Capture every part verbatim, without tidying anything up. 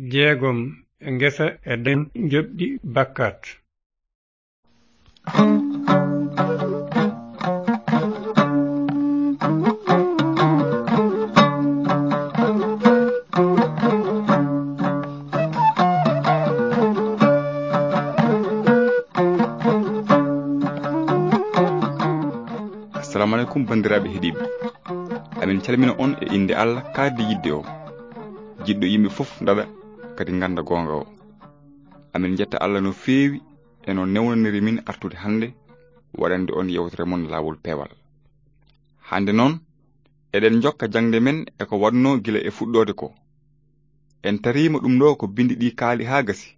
Jeegom e ngesa e den njoɓdi bakkat. Assalamu aleykum, banndiraaɓe heɗiiɓe. Amin calmina on e innde Allah kaaddi yiɗde o, jiɗɗo yimɓe fof ndaɗa, kadi ngannda goonga o. Amin njetta Allah no feewi e no newnaniri min artude hannde waɗande on yewtere mon Laawol Peewal. Hannde noon, eɗen njokka jaŋde men e ko waɗnoo gila e fuɗɗoode ko. En tariima ɗum ɗo ko binndi ɗi kaali haa gasi.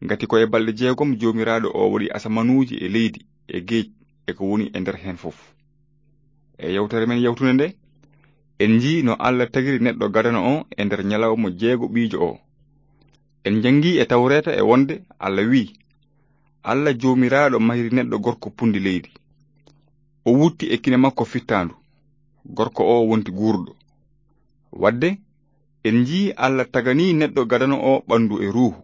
Ngati ko e balɗe jeegom Joomiraaɗo o waɗi asamanuuji e leydi e geej e ko woni e nder heen fof. E yewtere men yawtunde nde, en njii no Allah tagiri neɗɗo gadano o e nder ñalawma jeegoɓiijo o. En njanngi e Tawreeta e wonde Allah wi'i, Allah Joomiraaɗo mahiri neɗɗo gorko punndi leydi. O wutti e kine makko fittaandu. Gorko o wonti guurɗo. Wadde, en njii Allah tagani neɗɗo gadano o ɓanndu e ruuhu.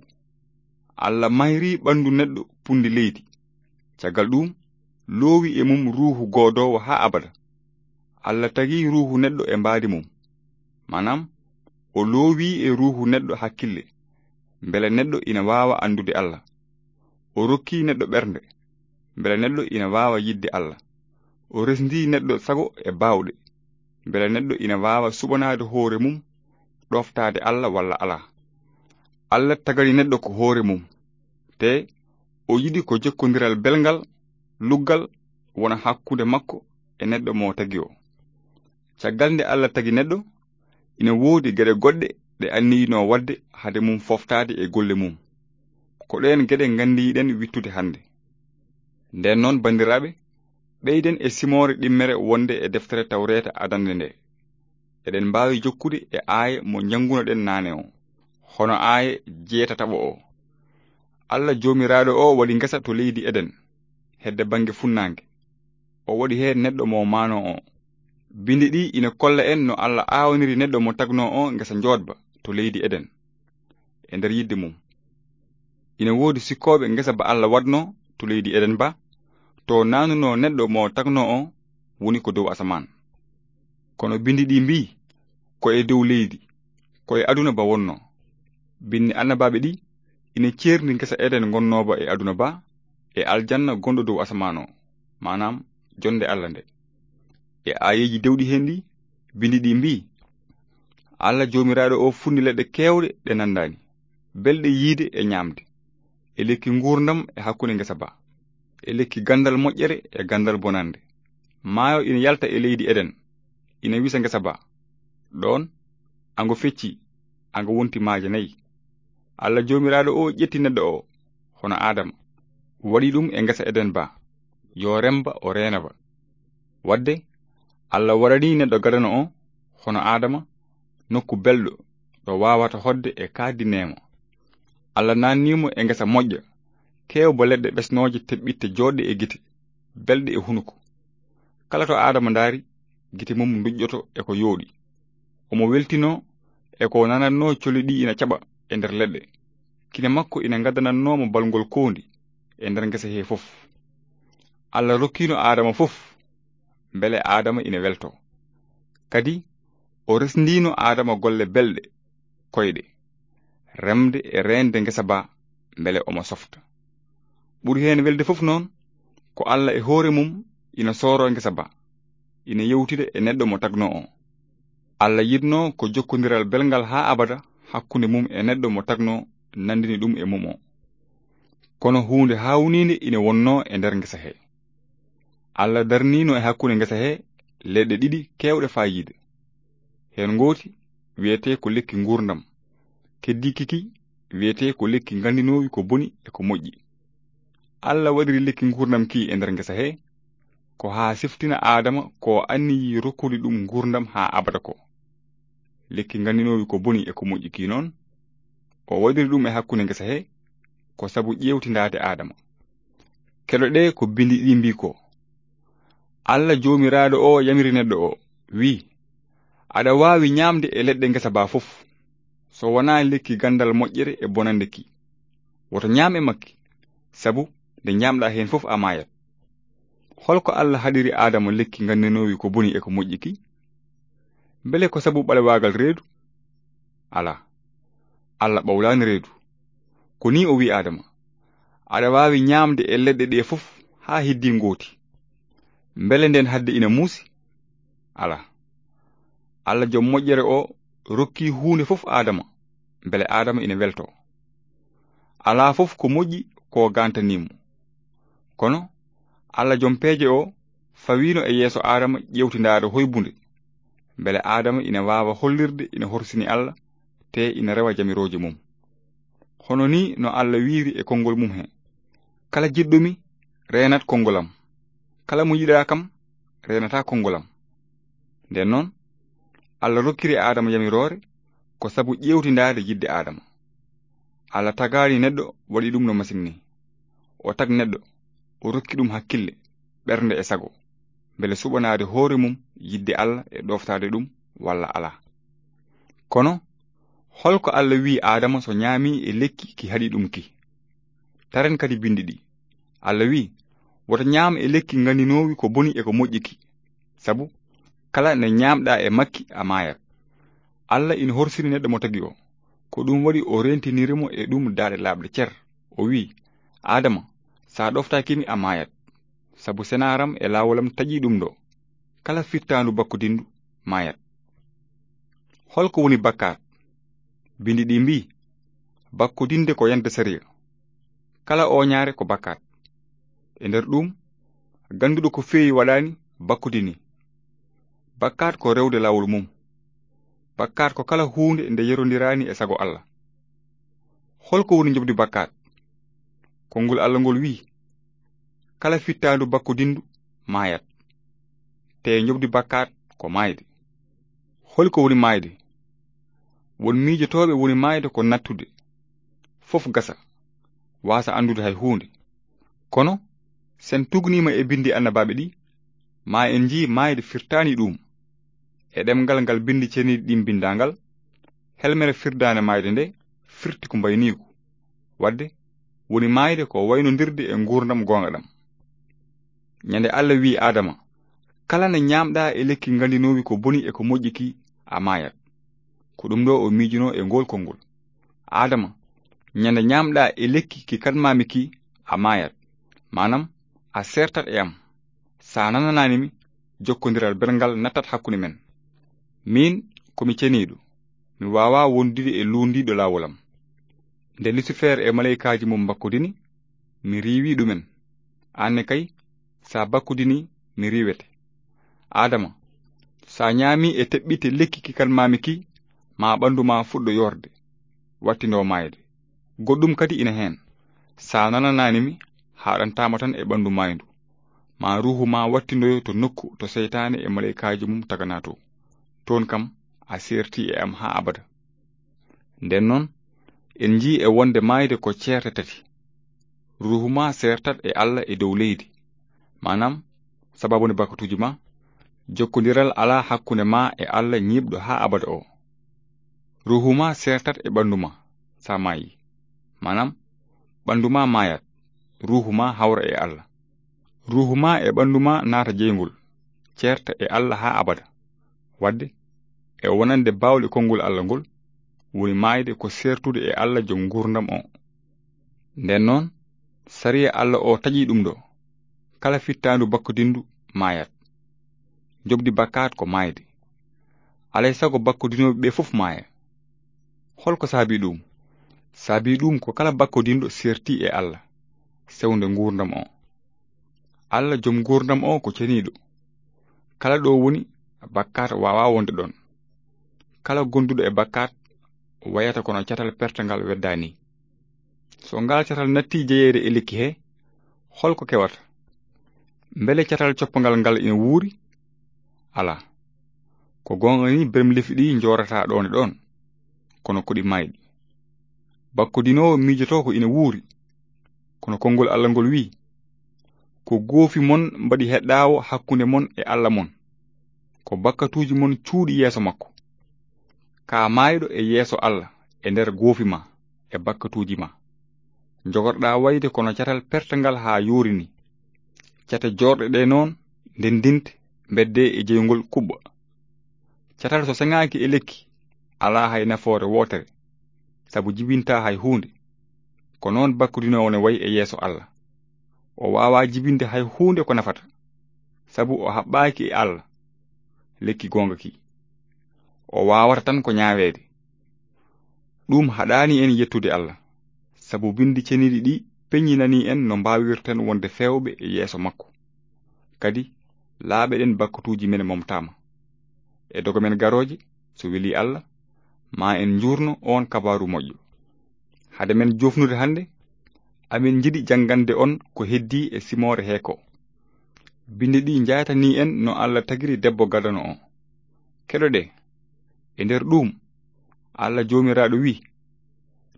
Allah mahiri ɓanndu neɗɗo punndi leydi. Caggal ɗum, loowi e mum ruuhu goodoowo haa abada. Allah tagi ruuhu neɗɗo e mbaadi mum. Maanaam, o loowi e ruuhu neɗɗo hakkille, mbele neɗɗo ina waawa anndude Allah. O rokki neɗɗo ɓernde, mbele neɗɗo ina waawa yiɗde Allah. O resndi neɗɗo sago e baawɗe, mbele neɗɗo ina waawa suɓanaade hoore mum, ɗooftaade Allah walla alaa. Allah tagani neɗɗo ko hoore mum, te o yiɗi ko jokkondiral belngal, luggal, wona hakkunde makko e neɗɗo mo tagi o. Caggal nde Allah tagi neɗɗo, ina woodi geɗe goɗɗe ɗe anniyinoo waɗde hade mum fooftaade e golle mum. Ko ɗeen geɗe nganndiyiɗen wittude hannde. Ndeen noon, banndiraaɓe, ɓeyden e simoore ɗimmere wonde e deftere Tawreeta adannde nde. Eɗen mbaawi jokkude e aaye mo njanngunoɗen naane o, hono aaye jeetataɓo o. Allah Joomiraaɗo o waɗi ngesa to leydi Eden, hedde bannge funnaange. O waɗi heen neɗɗo mo maanoo o. Binndi ɗi ina kolla en no Allah aawaniri neɗɗo mo tagnoo o ngesa njoodba to leydi Eden. E nder yiɗde mum, ina woodi sikkooɓe ngesa ba Allah waɗnoo to leydi Eden ba, to naanunoo neɗɗo mo tagnoo o woni ko dow asamaan. Kono binndi ɗi mbii, ko e dow leydi, ko e aduna ba wonnoo. Binndi annabaaɓe ɗi ina ceerndi ngesa Eden ngonnooba e aduna ba, e aljanna gonɗo dow asamaan o, maanaam, jonnde Allah nde. E aayeeji dewɗi heen ɗi, binndi ɗi mbii, Allah Joomiraaɗo o funni leɗɗe keewɗe ɗe nanndaani, belɗe yiide e ñaamde, e lekki nguurndam e hakkunde ngesa ba, e lekki ganndal moƴƴere e ganndal bonannde. Maayo ina yalta e leydi Eden, ina wisa ngesa ba. Ɗoon, ango fecci, ango wonti maaje nayi. Allah Joomiraaɗo o ƴetti neɗɗo o, hono Aadama, waɗi ɗum e ngesa Eden ba, yo remba o reena ba. Wadde, Allah waɗani neɗɗo gadano o, hono Aadama, nokku belɗo ɗo waawata hoɗde e kaaddi neema. Allah naanni mo e ngesa moƴƴa, keewba leɗɗe ɓesnooje teɓɓitte jooɗɗe e gite, belɗe e hunuko. Kala to Aadama ndaari, gite mum nduƴƴoto e ko yooɗi. Omo weltinoo e ko nanatnoo colli ɗi ina caɓa e nder leɗɗe. Kine makko ina gaddanatnoo mo balngol koondi e nder ngesa hee fof. Allah rokkiino Aadama fof, mbele Aadama ina weltoo. Kadi, o resndiino Aadama golle belɗe, koyɗe, remde e reende ngesa ba, mbele omo softa. Ɓuri heen welde fof noon, ko Allah e hoore mum ina sooroo ngesa ba, ina yewtida e neɗɗo mo tagnoo o. Allah yiɗnoo ko jokkondiral belngal haa abada hakkunde mum e neɗɗo mo tagnoo, nanndini ɗum e mum o. Kono huunde haawniinde ina wonnoo e nder ngesa hee. Allah darniino e hakkunde ngesa hee leɗɗe ɗiɗi keewɗe faayiida. Heen ngooti wiyetee ko lekki nguurndam, keddiiki ki wiyetee ko lekki nganndinoowi ko boni e ko moƴƴi. Allah waɗiri lekki nguurndam ki e nder ngesa hee, ko haa siftina Aadama ko o anniyii rokkude ɗum nguurndam haa abada ko. Lekki nganndinoowi ko boni e ko moƴƴi ki noon, o waɗiri ɗum e hakkunde ngesa hee, ko sabu ƴeewtindaade Aadama. Keɗoɗee ko binndi ɗi mbii ko. Allah Joomiraaɗo o yamiri neɗɗo o, wii, aɗa waawi ñaamde e leɗɗe ngesa ba fof. so wonaa lekki ganndal moƴƴere e bonannde ki. Woto ñaam e makki, sabu nde ñaamɗaa heen fof a maayat. Hol ko Alla haɗiri Aadama lekki nganndanoowi ko boni e ko moƴƴi ki? Mbele ko sabu ɓalewaagal reedu? Alaa. Alla ɓawlaani reedu. Ko nii o wi'i Aadama, "Aɗa waawi ñaamde e leɗɗe ɗee fof haa heddii ngooti." Mbele ndeen haɗde ina muusi? Alaa. Alla jom moƴƴere o rokki huunde fof Aadama, mbele Aadama ina weltoo. Alaa fof ko moƴƴi ko gantanii mo. Kono Alla jom peeje o fawiino e yeeso Aadama ƴeewtindaare hoybunde, mbele Aadama ina waawa hollirde ina horsini Alla, te ina rewa jamirooje mum. Hono nii no Alla wiiri e konngol mum he, "Kala jiɗɗo mi, reenat konngol am. Kala mo yiɗaa kam, reenataa konngol am." Ndeen noon, Alla rokkiri Aadama yamiroore ko sabu ƴeewtindaade yiɗde Aadama. Alla tagaani neɗɗo waɗi ɗum no masiŋ nii. O tag neɗɗo, o rokki ɗum hakkille, ɓernde e sago, mbele suɓanaade hoore mum yiɗde Alla e ɗooftaade ɗum walla alaa. Kono, hol ko Alla wi'i Aadama so ñaami e lekki ki haɗi ɗum ki? Taren kadi binndi ɗi. Alla wi'i, "Woto ñaam e lekki nganndinoowi ko boni e ko moƴƴi ki, sabu kala nde ñaamɗaa e makki a maayat." Alla ina horsini neɗɗo mo tagi o. Ko ɗum waɗi o reentiniri mo e ɗum daaɗe laaɓɗe cer. O wi'i, "Aadama, so a ɗoftaaki mi a maayat, sabu senaaram e laawolam taƴii ɗum ɗo. Kala fittaandu bakkodindu maayat." Hol ko woni bakkaat? Binndi ɗi mbi'i, bakkodinde ko yande sariya. Kala ooñaare ko bakkaat. E nder ɗum, gannduɗo ko feewi waɗaani bakkodini. Bakkaat ko rewde laawol mum. Bakkaat ko kala huunde nde yerondiraani e sago Alla. Hol ko woni njoɓdi bakkaat? Konngol Alla ngol wi'i, "Kala fittaandu bakkodindu maayat." Te njoɓdi bakkaat ko maayde. Hol ko woni maayde? Won miijotooɓe woni maayde ko nattude. Fof gasa, waasa anndude hay huunde. Kono, sen tugniima e binndi annabaaɓe ɗi, ma en njii maayde firtaani ɗum. E ɗemngal ngal binndi ceniiɗi ɗin mbinndaa ngal, helmere firdaande maayde nde firti ko mbayniigu. Waɗde, woni maayde ko waynondirde e nguurndam goonga ɗam. Ñande Alla wi'i Aadama, "Kala nde ñaamɗaa e lekki nganndinoowi ko boni e ko moƴƴi ki, a maayat." Ko ɗum ɗo o miijunoo e ngool konngol. "Aadama, ñande ñaamɗaa e lekki ki kanmaami ki, a maayat." Maanaam, a seertat e am. So a nananaani mi, jokkondiral belngal nattat hakkunde men. Miin, ko mi ceniiɗo. Mi waawaa wondude e luundiiɗo laawol am. Nde Lusifer e maleykaaji mum mbakkodini, mi riiwi ɗumen. Aan ne kay, so a bakkodinii, mi riiwete. Aadama, so a ñaamii e teɓɓitte lekki ki kanmaami ki, ma ɓanndu ma fuɗɗo yoorde, wattindoo maayde. Goɗɗum kadi ina heen. So a nananaani mi, haaɗantaa ma tan e ɓanndu maayndu. Ma ruuhu ma wattindoyo to nokku to seytaane e maleykaaji mum taganaa to. Toon kam, a seertii e am haa abada. Nden noon, en njii e wonde maayde ko ceerte tati. Ruuhu ma seertat e Alla e dow leydi. Maanaam, sababu nde bakkatuuji ma, jokkondiral alaa hakkunde ma e Alla ñiiɓɗo haa abada o. Ruuhu ma seertat e ɓanndu ma, so a maayi. Maanaam, ɓanndu ma maayat, ruuhu ma hawra e Alla. Ruuhu ma e ɓanndu ma naata jeyngol, ceerta e Alla haa abada. Waɗde, e wonande baawɗe konngol Alla ngol, woni maayde ko seertude e Alla jom nguurndam o. Nden noon, sariya Alla o taƴii ɗum ɗo, kala fittaandu bakkodindu maayat. Njoɓdi bakkaat ko maayde. Alay sago bakkodinooɓe ɓe fof maaya. Hol ko saabii ɗum? Saabii ɗum ko kala bakkodinɗo seertii e Alla, sewnde nguurndam o. Alla jom nguurndam o ko ceniiɗo. Kala ɗo woni, bakkaat waawaa wonde ɗon. Kala gonduɗo e bakkaat wayata kono catal pertangal weddaani. So ngal catal natti jeyeede e lekki he, hol ko kewata? Mbele catal coppangal ngal ina wuuri? Alaa. Ko goonga ni bermlefi ɗi njoorataa ɗoon e ɗoon, kono ko ɗi maayɗi. Bakkodinoowo miijotoo ko ina wuuri, kono konngol Alla ngol wi'i, "Ko goofi mon mbaɗi heɗɗaawo hakkunde mon e Alla mon. Ko bakkatuuji mon cuuɗi yeeso makko." Ka maayɗo e yeeso Alla, e nder goofi ma e bakkatuuji ma. Njogorɗaa wayde kono catal pertangal haa yoori ni. Cate joorɗe ɗe noon ndenndinte, mbeddee e jeyngol kuɓɓa. Catal so seŋaaki e lekki, alaa hay nafoore wootere, sabu jibintaa hay huunde. Ko noon bakkudinoowo ne wayi e yeeso Alla. O waawaa jibinde hay huunde ko nafata, sabu o haɓɓaaki e Alla, lekki goonga ki. O waawata tan ko ñaaweede. Ɗum haɗaani en yettude Alla, sabu Binndi Ceniiɗi ɗi peññinanii en no mbaawirten wonde feewɓe e yeeso makko. Kadi, laaɓeɗen bakkatuuji men momtaama. E dogo men garooje, so welii Alla, ma en njuurno oon kabaaru moƴƴo. Hade men joofnude hannde, amin njiɗi janngande on ko heddii e simoore hee ko. Binndi ɗi njaytanii en no Alla tagiri debbo gadano o. Keɗoɗee. E nder ɗuum, Alla Joomiraaɗo wi'i,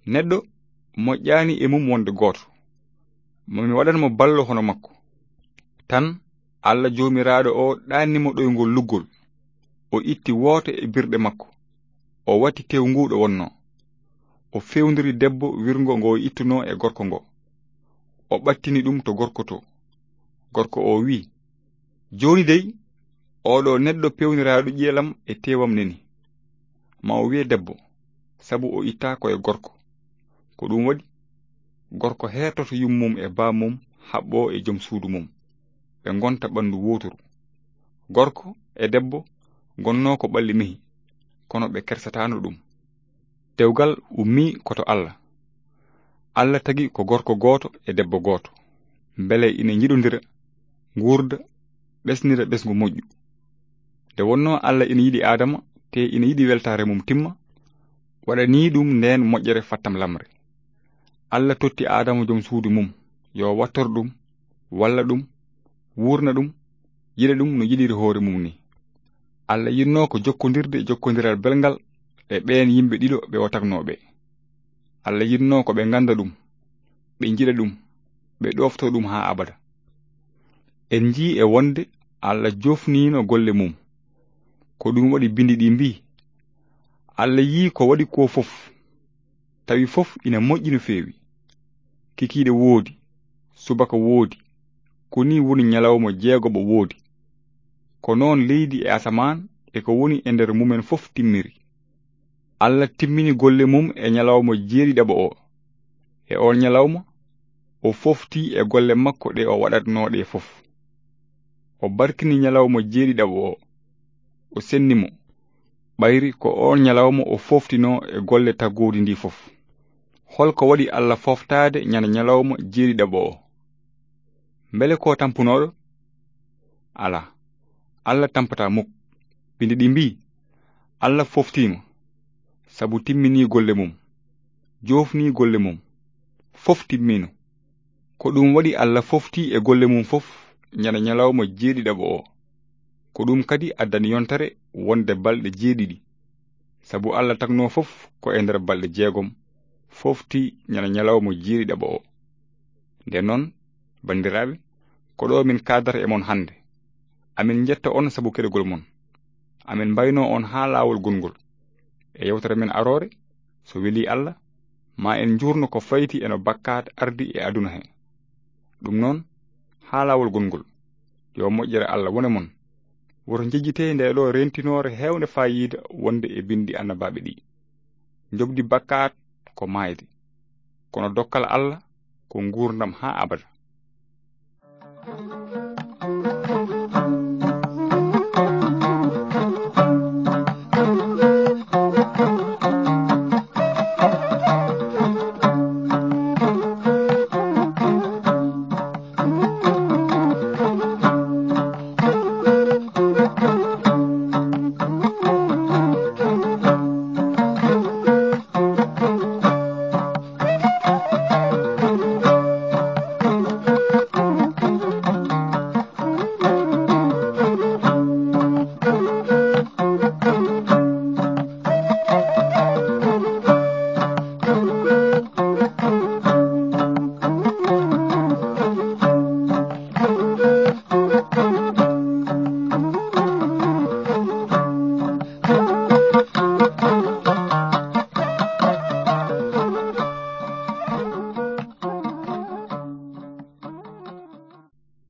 "Neɗɗo moƴƴaani e mum wonde gooto. Mo mi waɗan mo ballo hono makko." Tan, Alla Joomiraaɗo o ɗaanni mo ɗoyngol luggol. O itti wooto e birɗe makko. O watti tew ngu ɗo wonnoo. O fewndiri debbo wirngo ngo o ittunoo e gorko ngo. O ɓattini ɗum to gorko to. Gorko o wi'i, "Jooni dey, oɗo neɗɗo pewniraaɗo ƴi'elam e tewam neni. Ma o wi'e debbo, sabu o ittaa ko e gorko." Ko ɗum waɗi, gorko heertoto yummum e bammum, haɓɓoo e jom suudu mum. Ɓe ngonta ɓanndu wooturu. Gorko e debbo ngonnoo ko ɓalli mehi, kono ɓe kersataano ɗum. Dewgal ummii ko to Alla. Alla tagi ko gorko gooto e debbo gooto, mbele ina njiɗondira, nguurda, ɓesnira ɓesngu moƴƴu. Nde wonnoo Alla ina yiɗi Aadama, te ina yiɗi weltaare mum timma, waɗanii ɗum ndeen moƴƴere fattam lamre. Alla totti Aadama jom suudu mum, yo wattor ɗum, walla ɗum, wuurna ɗum, yiɗa ɗum no yiɗiri hoore mum ni. Alla yiɗnoo ko jokkondirde jokkondiral belngal e ɓeen yimɓe ɗiɗo ɓe o tagnoo ɓe. Alla yiɗnoo ko ɓe ngannda ɗum, ɓe njiɗa ɗum, ɓe ɗoftoo ɗum haa abada. En njii e wonde Alla joofniino golle mum. Ko ɗum waɗi binndi ɗi mbii, "Alla yii ko waɗi ko fof, tawi fof ina moƴƴi no feewi. Kikiiɗe woodi, subaka woodi, ko nii woni ñalawma jeegoɓo woodi. Ko noon leydi e asamaan e ko woni e nder mumen fof timmiri." Alla timmini golle mum e ñalawma jeeɗiɗaɓo o. E oon ñalawma, o foofti e golle makko ɗe o waɗatnoo ɗe fof. O barkini ñalawma jeeɗiɗaɓo o. O senni mo. Ɓayri ko oon ñalawma o fooftinoo e golle taggoodi ndi fof. Hol ko waɗi Alla fooftaade ñande ñalawma jeeɗiɗaɓo o? Mbele ko tampunooɗo? Alaa, Alla tampataa muk. Binndi ɗi mbii, "Alla fooftiima, sabu timminii golle mum, joofnii golle mum, fof timmiino." Ko ɗum waɗi Alla fooftii e golle mum fof ñande ñalawma jeeɗiɗaɓo o. Ko ɗum kadi addani yontere wonde balɗe jeeɗiɗi, sabu Alla tagnoo fof ko e nder balɗe jeegom, fooftii ñande ñalawma jeeɗiɗaɓo o. Nden noon, banndiraaɓe, ko ɗo min kaadata e mon hannde. Amin njetta on sabu keɗogol mon. Amin mbaynoo on haa laawol gongol. E yewtere men aroore, so welii Alla, ma en njuurno ko fayti e no bakkaat ardi e aduna he. Ɗum noon, haa laawol gongol, yo moƴƴere Alla wone mon. Woto njejjitee nde ɗo rentinoore heewnde faayiida wonde e binndi annabaaɓe ɗi. Njoɓdi bakkaat ko maayde, kono dokkal Alla ko nguurndam haa abada.